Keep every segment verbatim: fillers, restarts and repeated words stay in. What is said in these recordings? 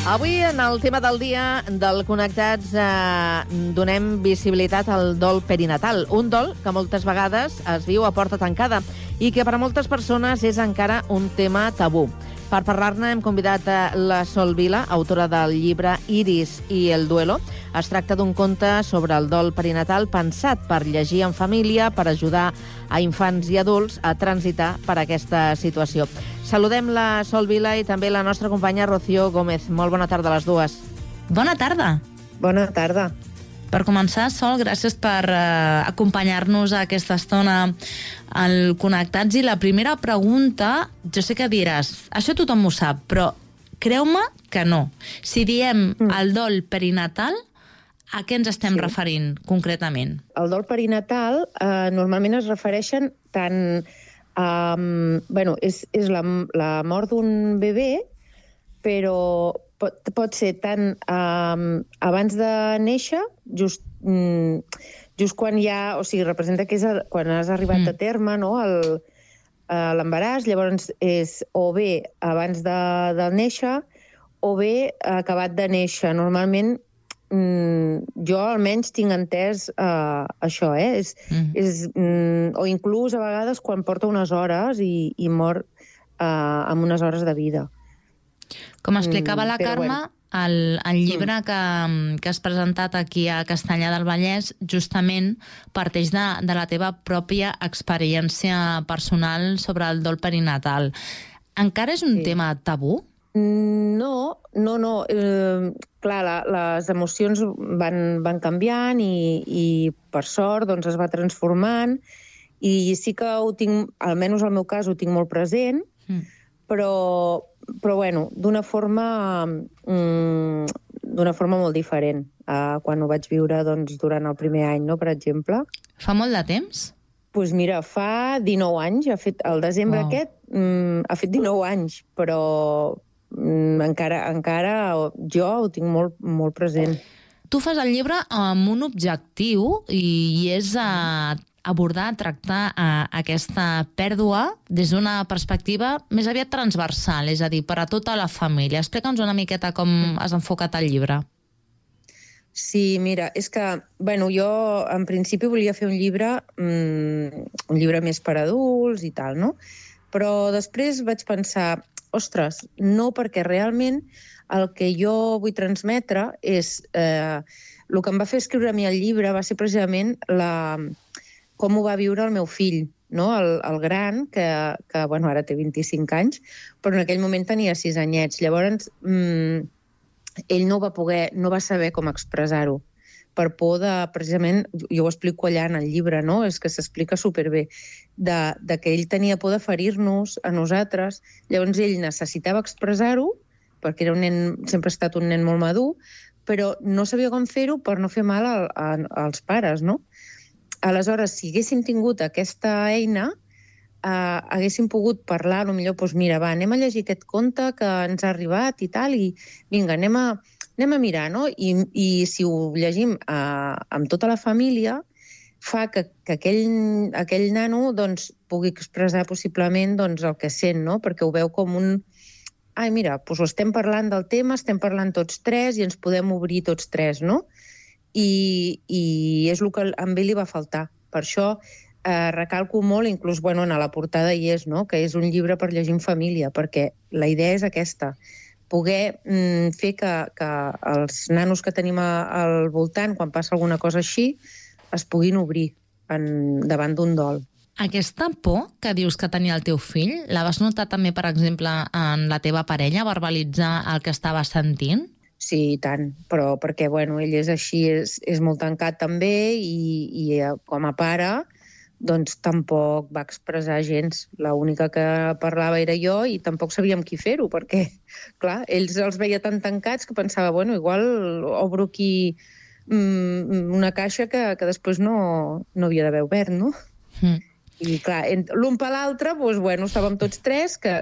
Avui, en el tema del dia del Connectats, eh, donem visibilitat al dol perinatal. Un dol que moltes vegades es viu a porta tancada i que per a moltes persones és encara un tema tabú. Per parlar-ne hem convidat a la Sol Vila, autora del llibre Iris i el duelo. Es tracta d'un conte sobre el dol perinatal pensat per llegir en família, per ajudar a infants i adults a transitar per aquesta situació. Saludem la Sol Vila i també la nostra companya Rocío Gómez. Molt bona tarda a les dues. Bona tarda. Bona tarda. Per començar, Sol, gràcies per eh, acompanyar-nos a aquesta estona al Connectats. I la primera pregunta, jo sé que diràs, això tothom ho sap, però creu-me que no. Si diem mm. el dol perinatal, a què ens estem sí. referint concretament? El dol perinatal eh, normalment es refereixen tant... Um, bueno, és, és la, la mort d'un bebè, però pot, pot ser tant um, abans de néixer, just, um, just quan ja... O sigui, representa que és a, quan has arribat mm. a terme, no?, el, uh, l'embaràs, llavors és o bé abans de, de néixer o bé acabat de néixer. Normalment, um, jo almenys tinc entès uh, això, eh? És, mm. és, um, o inclús a vegades quan porta unes hores i, i mor uh, amb unes hores de vida. Com explicava la Però, Carme, bueno. el, el llibre mm. que, que has presentat aquí a Castellar del Vallès justament parteix de, de la teva pròpia experiència personal sobre el dol perinatal. Encara és un sí. tema tabú? No, no, no. Eh, clar, la, les emocions van, van canviant i, i per sort doncs, es va transformant i sí que ho tinc, almenys al meu cas, ho tinc molt present, mm. però, però bueno, d'una forma, mm, d'una forma molt diferent eh, quan ho vaig viure doncs, durant el primer any, no, per exemple. Fa molt de temps? Doncs pues mira, fa dinou anys, ha fet, el desembre wow. aquest mm, ha fet dinou anys, però mm, encara, encara jo ho tinc molt, molt present. Tu fas el llibre amb un objectiu i, i és a abordar, tractar a, aquesta pèrdua des d'una perspectiva més aviat transversal, és a dir, per a tota la família. Explica'ns una miqueta com has enfocat el llibre. Sí, mira, és que, bueno, jo en principi volia fer un llibre, mmm, un llibre més per adults i tal, no? Però després vaig pensar, ostres, no, perquè realment el que jo vull transmetre és... Eh, el que em va fer escriure a mi el llibre va ser precisament la, com ho va viure el meu fill, no? el, el gran, que, que bueno, ara té vint-i-cinc anys, però en aquell moment tenia sis anyets. Llavors, mmm, ell no va poder, no va saber com expressar-ho, per por de, precisament, jo ho explico allà en el llibre, no? És que s'explica superbé, de, de que ell tenia por de ferir-nos a nosaltres, llavors ell necessitava expressar-ho, perquè era un nen, sempre ha estat un nen molt madur, però no sabia com fer-ho per no fer mal a, a, als pares, no? Aleshores, si haguéssim tingut aquesta eina, Uh, haguéssim pogut parlar, potser, doncs mira, va, anem a llegir aquest conte que ens ha arribat i tal, i vinga, anem a, anem a mirar, no? I, i si ho llegim uh, amb tota la família, fa que, que aquell, aquell nano doncs, pugui expressar possiblement doncs, el que sent, no? Perquè ho veu com un... Ai, mira, doncs estem parlant del tema, estem parlant tots tres i ens podem obrir tots tres, no? I, i és el que a ell li va faltar. Per això Eh, recalco molt, inclús bueno, en la portada hi és, no? Que és un llibre per llegir en família, perquè la idea és aquesta, poder mm, fer que, que els nanos que tenim a, al voltant, quan passa alguna cosa així, es puguin obrir en, davant d'un dol. Aquesta por que dius que tenia el teu fill, la vas notar també, per exemple, en la teva parella, verbalitzar el que estava sentint? Sí, i tant, però perquè bueno, ell és així, és, és molt tancat també i, i com a pare doncs tampoc va expressar gens. L'única que parlava era jo i tampoc sabíem qui fer-ho, perquè, clar, ells els veia tan tancats que pensava, bueno, igual obro aquí mm, una caixa que, que després no, no havia d'haver obert, no? Mm. I, clar, l'un per l'altre, doncs, bueno, estàvem tots tres, que,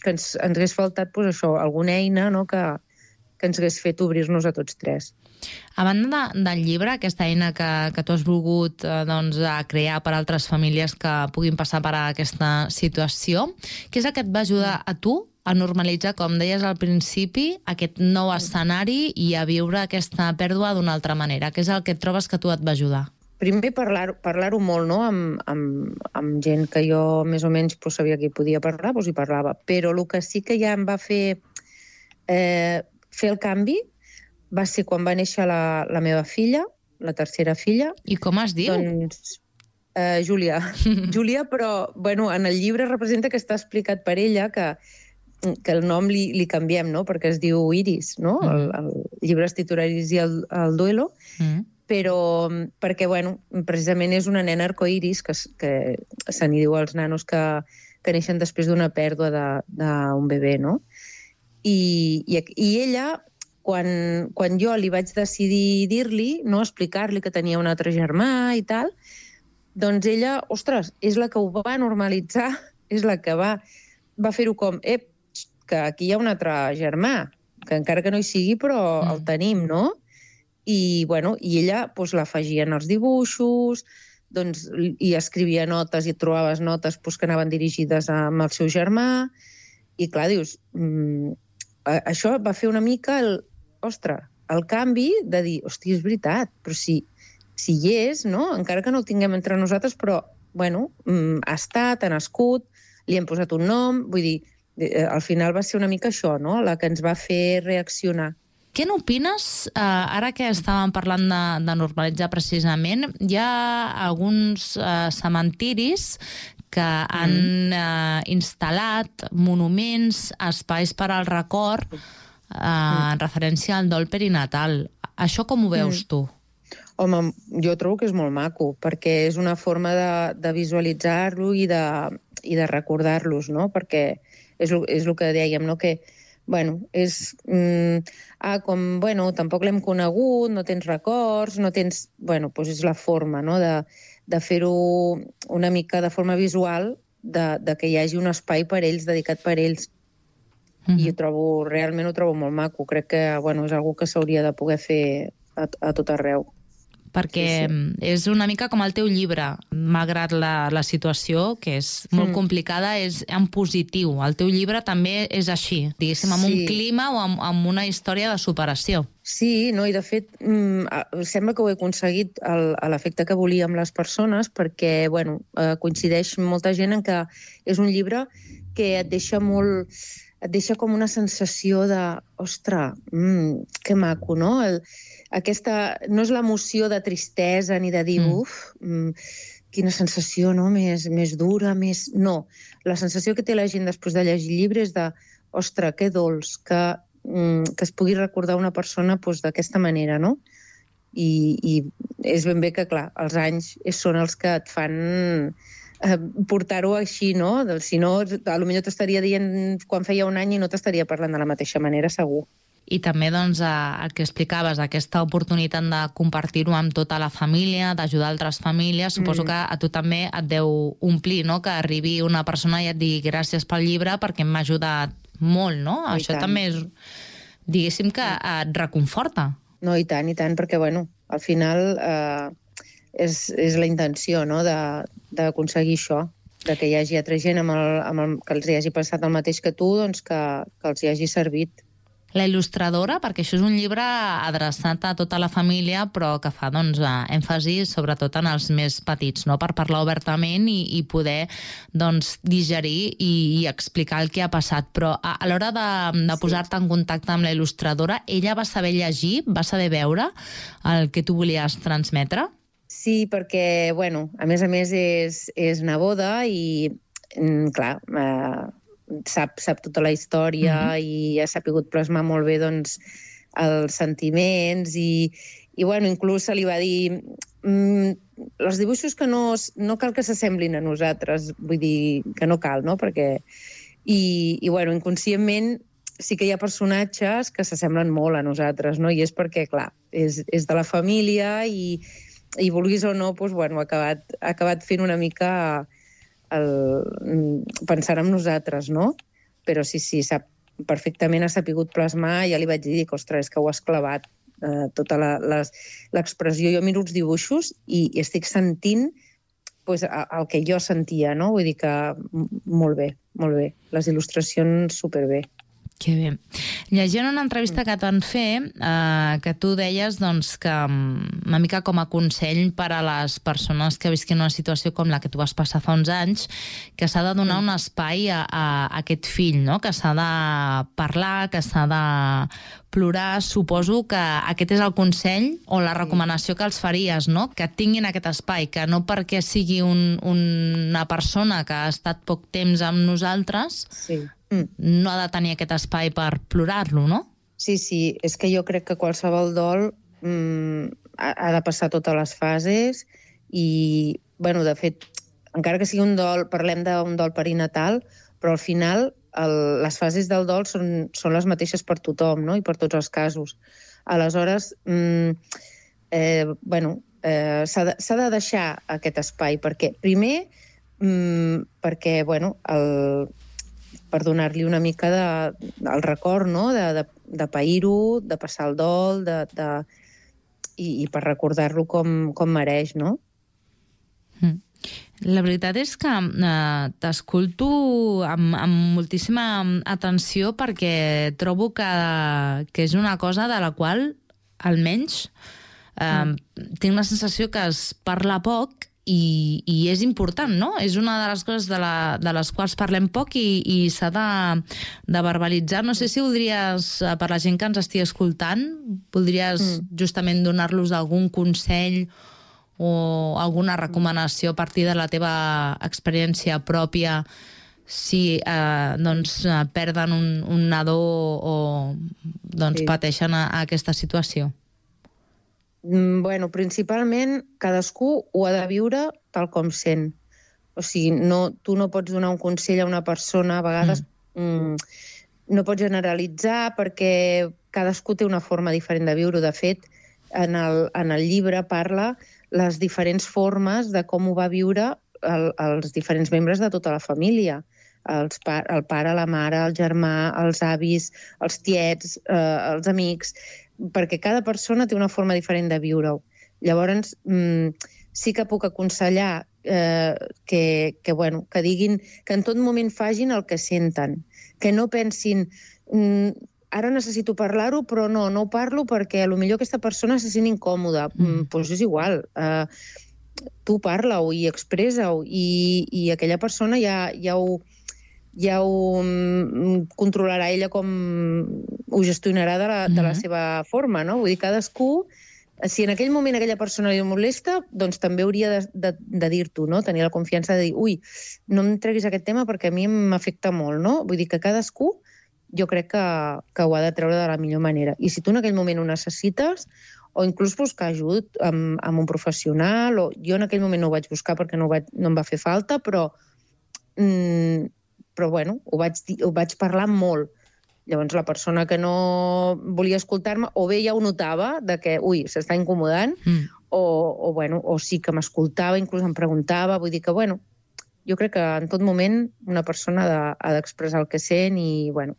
que ens, ens hagués faltat, doncs, això, alguna eina, no?, que, que ens hagués fet obrir-nos a tots tres. A banda de, del llibre, aquesta eina que, que tu has volgut eh, doncs, crear per a altres famílies que puguin passar per aquesta situació, què és el que et va ajudar a tu a normalitzar, com deies al principi, aquest nou escenari i a viure aquesta pèrdua d'una altra manera? Què és el que et trobes que tu et va ajudar? Primer parlar-ho parlar molt, no? amb, amb, amb gent que jo més o menys pues, sabia que hi podia parlar, doncs hi parlava. Però el que sí que ja em va fer eh, fer el canvi va ser quan va néixer la, la meva filla, la tercera filla. I com es diu? Doncs, eh, Júlia. Júlia, però bueno, en el llibre representa que està explicat per ella que, que el nom li, li canviem, no? Perquè es diu Iris, no? Mm. El, el llibre es titula Iris i el, el duelo. Mm. Però perquè, bueno, precisament és una nena arcoiris, que, que se n'hi diu als nanos que, que neixen després d'una pèrdua d'un bebè, no? I, i, i ella, quan, quan jo li vaig decidir dir-li, no, explicar-li que tenia un altre germà i tal, doncs ella, ostres, és la que ho va normalitzar, és la que va, va fer-ho com, ep, que aquí hi ha un altre germà, que encara que no hi sigui, però mm. el tenim, no? I, bueno, i ella pues, l'afegia en els dibuixos, doncs, i escrivia notes i trobaves notes pues, que anaven dirigides amb el seu germà. I clar, dius, mmm, això va fer una mica el, ostres, el canvi de dir, hòstia, és veritat, però si, si hi és, no? Encara que no el tinguem entre nosaltres, però, bueno, mmm, ha estat, ha nascut, li hem posat un nom, vull dir, al final va ser una mica això, no?, la que ens va fer reaccionar. Què n'opines, eh, ara que estàvem parlant de, de normalitzar precisament, hi ha alguns eh, cementiris que han mm. eh, instal·lat monuments, espais per al record, eh, mm. en referència al dol perinatal. Això com ho veus mm. tu? Home, jo trobo que és molt maco, perquè és una forma de, de visualitzar-lo i de, i de recordar-los, no? Perquè és, és el que dèiem, no?, que bueno, és... Mm, ah, com, bueno, tampoc l'hem conegut, no tens records, no tens... Bueno, doncs és la forma, no?, de, de fer-ho una mica de forma visual, de, de que hi hagi un espai per ells, dedicat per ells. Mm-hmm. I ho trobo, realment ho trobo molt maco. Crec que, bueno, és una cosa que s'hauria de poder fer a, a tot arreu. Perquè sí, sí. és una mica com el teu llibre, malgrat la, la situació, que és molt mm. complicada, és en positiu. El teu llibre també és així, diguéssim, amb sí. un clima o amb, amb una història de superació. Sí, no, i de fet, mm, sembla que ho he aconseguit a l'efecte que volia amb les persones, perquè, bueno, eh, coincideix molta gent en que és un llibre que et deixa molt... et deixa com una sensació de, ostres, mm, que maco, no? El, aquesta, no és l'emoció de tristesa ni de dir, mm. uf, mm, quina sensació, no?, més, més dura, més... No, la sensació que té la gent després de llegir el llibre és de, ostres, que dolç, que, mm, que es pugui recordar una persona doncs, d'aquesta manera, no? I, I és ben bé que, clar, els anys són els que et fan... portar-ho així, no? Si no, potser t'estaria dient quan feia un any i no t'estaria parlant de la mateixa manera, segur. I també, doncs, el que explicaves, aquesta oportunitat de compartir-ho amb tota la família, d'ajudar altres famílies, suposo mm. que a tu també et deu omplir, no?, que arribi una persona i et digui gràcies pel llibre perquè m'ha ajudat molt, no? I Això tant. També és, diguéssim, que et reconforta. No, i tant, i tant, perquè, bueno, al final... Eh... És, és la intenció, no?, d'aconseguir això, de que hi hagi altra gent amb el, amb el, que els hi hagi passat el mateix que tu, doncs que, que els hi hagi servit. La il·lustradora, perquè això és un llibre adreçat a tota la família, però que fa, doncs, èmfasi sobretot en els més petits, no?, per parlar obertament i, i poder, doncs, digerir i, i explicar el que ha passat. Però a, a l'hora de, de posar-te en contacte amb la il·lustradora, ella va saber llegir, va saber veure el que tu volies transmetre? Sí, perquè, bueno, a més a més és, és neboda i, clar, eh, sap, sap tota la història mm-hmm. i ha sapigut plasmar molt bé, doncs, els sentiments i, i bueno, inclús se li va dir mm, els dibuixos que no, no cal que s'assemblin a nosaltres, vull dir que no cal, no?, perquè... I, i bueno, inconscientment sí que hi ha personatges que s'assemblen molt a nosaltres, no?, i és perquè, clar, és, és de la família i... i vulguis o no, doncs, bueno, ha acabat, ha acabat fent una mica el, pensar en nosaltres, no? Però sí, sí, sap, perfectament ha sapigut plasmar, ja li vaig dir que, ostres, és que ho has clavat, eh, tota l'expressió. Jo miro els dibuixos i, i estic sentint pues, el que jo sentia, no? Vull dir que molt bé, molt bé. Les il·lustracions superbé. Que bé. Llegint una entrevista que et van fer, eh, que tu deies doncs, que una mica com a consell per a les persones que visquin una situació com la que tu vas passar fa uns anys, que s'ha de donar un espai a, a, a aquest fill, no? Que s'ha de parlar, que s'ha de plorar. Suposo que aquest és el consell o la recomanació que els faries, no? Que tinguin aquest espai, que no perquè sigui un, una persona que ha estat poc temps amb nosaltres, Sí. Mm. no ha de tenir aquest espai per plorar-lo, no? Sí, sí, és que jo crec que qualsevol dol mm, ha, ha de passar totes les fases i, bueno, de fet, encara que sigui un dol, parlem d'un dol perinatal, però al final el, les fases del dol són, són les mateixes per tothom, no? I per tots els casos. Aleshores, mm, eh, bueno, eh, s'ha de, s'ha de deixar aquest espai, perquè, primer, mm, perquè, bueno, el... per donar-li una mica de, el record, no? de, de, de pair-ho, de passar el dol, de, de, i, i per recordar-lo com, com mereix, no? Mm. La veritat és que eh, t'escolto amb, amb moltíssima atenció perquè trobo que, que és una cosa de la qual, almenys, eh, mm. tinc la sensació que es parla poc I, i és important, no? És una de les coses de, la, de les quals parlem poc i, i s'ha de, de verbalitzar. No sé si voldries, per la gent que ens estigui escoltant, voldries mm. justament donar-los algun consell o alguna recomanació a partir de la teva experiència pròpia si eh, doncs, perden un, un nadó o doncs, sí. pateixen a, a aquesta situació? Bueno, principalment cadascú ho ha de viure tal com sent. O sigui, no, tu no pots donar un consell a una persona, a vegades mm. Mm, no pots generalitzar perquè cadascú té una forma diferent de viure. De fet, en el, en el llibre parla les diferents formes de com ho va viure el, els diferents membres de tota la família. Els pa, el pare, la mare, el germà, els avis, els tiets, eh, els amics, perquè cada persona té una forma diferent de viure-ho. Llavors, mmm, sí que puc aconsellar eh, que, que, bueno, que diguin, que en tot moment facin el que senten, que no pensin mmm, ara necessito parlar-ho, però no, no ho parlo perquè potser aquesta persona se sent incòmoda. Mm. Doncs pues és igual, eh, tu parla-ho i expressa-ho i, i aquella persona ja, ja ho ja ho controlarà ella com ho gestionarà de la, de la seva forma, no? Vull dir, cadascú, si en aquell moment aquella persona li molesta, doncs també hauria de, de, de dir-t'ho, no? Tenir la confiança de dir, ui, no em treguis aquest tema perquè a mi m'afecta molt, no? Vull dir que cadascú jo crec que, que ho ha de treure de la millor manera. I si tu en aquell moment ho necessites, o inclús buscar ajut amb, amb un professional, o jo en aquell moment no ho vaig buscar perquè no, ho vaig, no em va fer falta, però... Mm, però bueno, ho vaig, dir, ho vaig parlar molt. Llavors la persona que no volia escoltar-me o bé ja ho notava, de que, ui, s'està incomodant, mm. o, o, bueno, o sí que m'escoltava, inclús em preguntava, vull dir que, bueno, jo crec que en tot moment una persona ha, de, ha d'expressar el que sent i, bueno,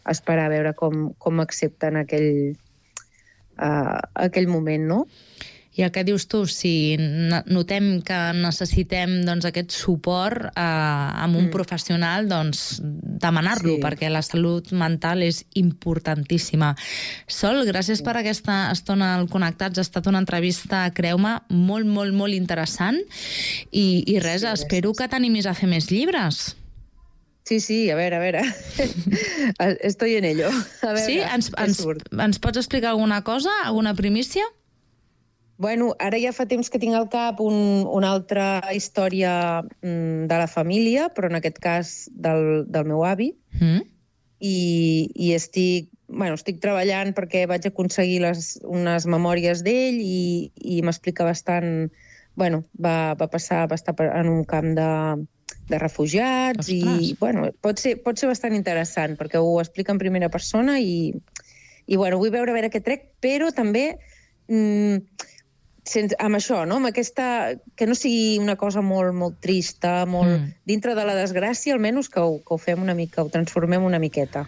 esperar a veure com, com accepten aquell, uh, aquell moment, no? I el que dius tu, si notem que necessitem doncs, aquest suport eh, amb un mm. professional, doncs demanar-lo, sí. perquè la salut mental és importantíssima. Sol, gràcies sí. per aquesta estona al Connectats. Ha estat una entrevista, creu-me, molt, molt, molt interessant. I, i res, sí, espero que t'animis a fer més llibres. Sí, sí, a veure, a veure. Estoy en ello. A veure, sí? Ens, ens, ens pots explicar alguna cosa, alguna primícia? Bueno, ara ja fa temps que tinc al cap un, una altra història mm, de la família, però en aquest cas del, del meu avi. Mm. I, i estic, bueno, estic treballant perquè vaig aconseguir les, unes memòries d'ell i, i m'explica bastant... Bueno, va, va passar, va estar en un camp de, de refugiats. Ostres. I bueno, pot ser, pot ser bastant interessant perquè ho explica en primera persona i, i bueno, vull veure a veure què trec, però també... Mm, Sense, amb això, no? Amb aquesta... Que no sigui una cosa molt, molt trista, molt... Mm. Dintre de la desgràcia, almenys que ho, que ho fem una mica, ho transformem una miqueta.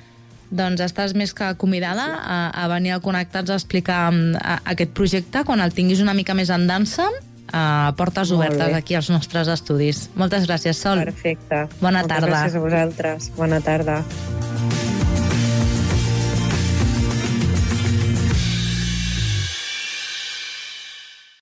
Doncs estàs més que convidada a, a venir al Connectats a explicar a, a aquest projecte quan el tinguis una mica més en dansa uh, portes Molt obertes bé. aquí als nostres estudis. Moltes gràcies, Sol. Perfecte. Bona Moltes tarda. gràcies a vosaltres. Bona tarda.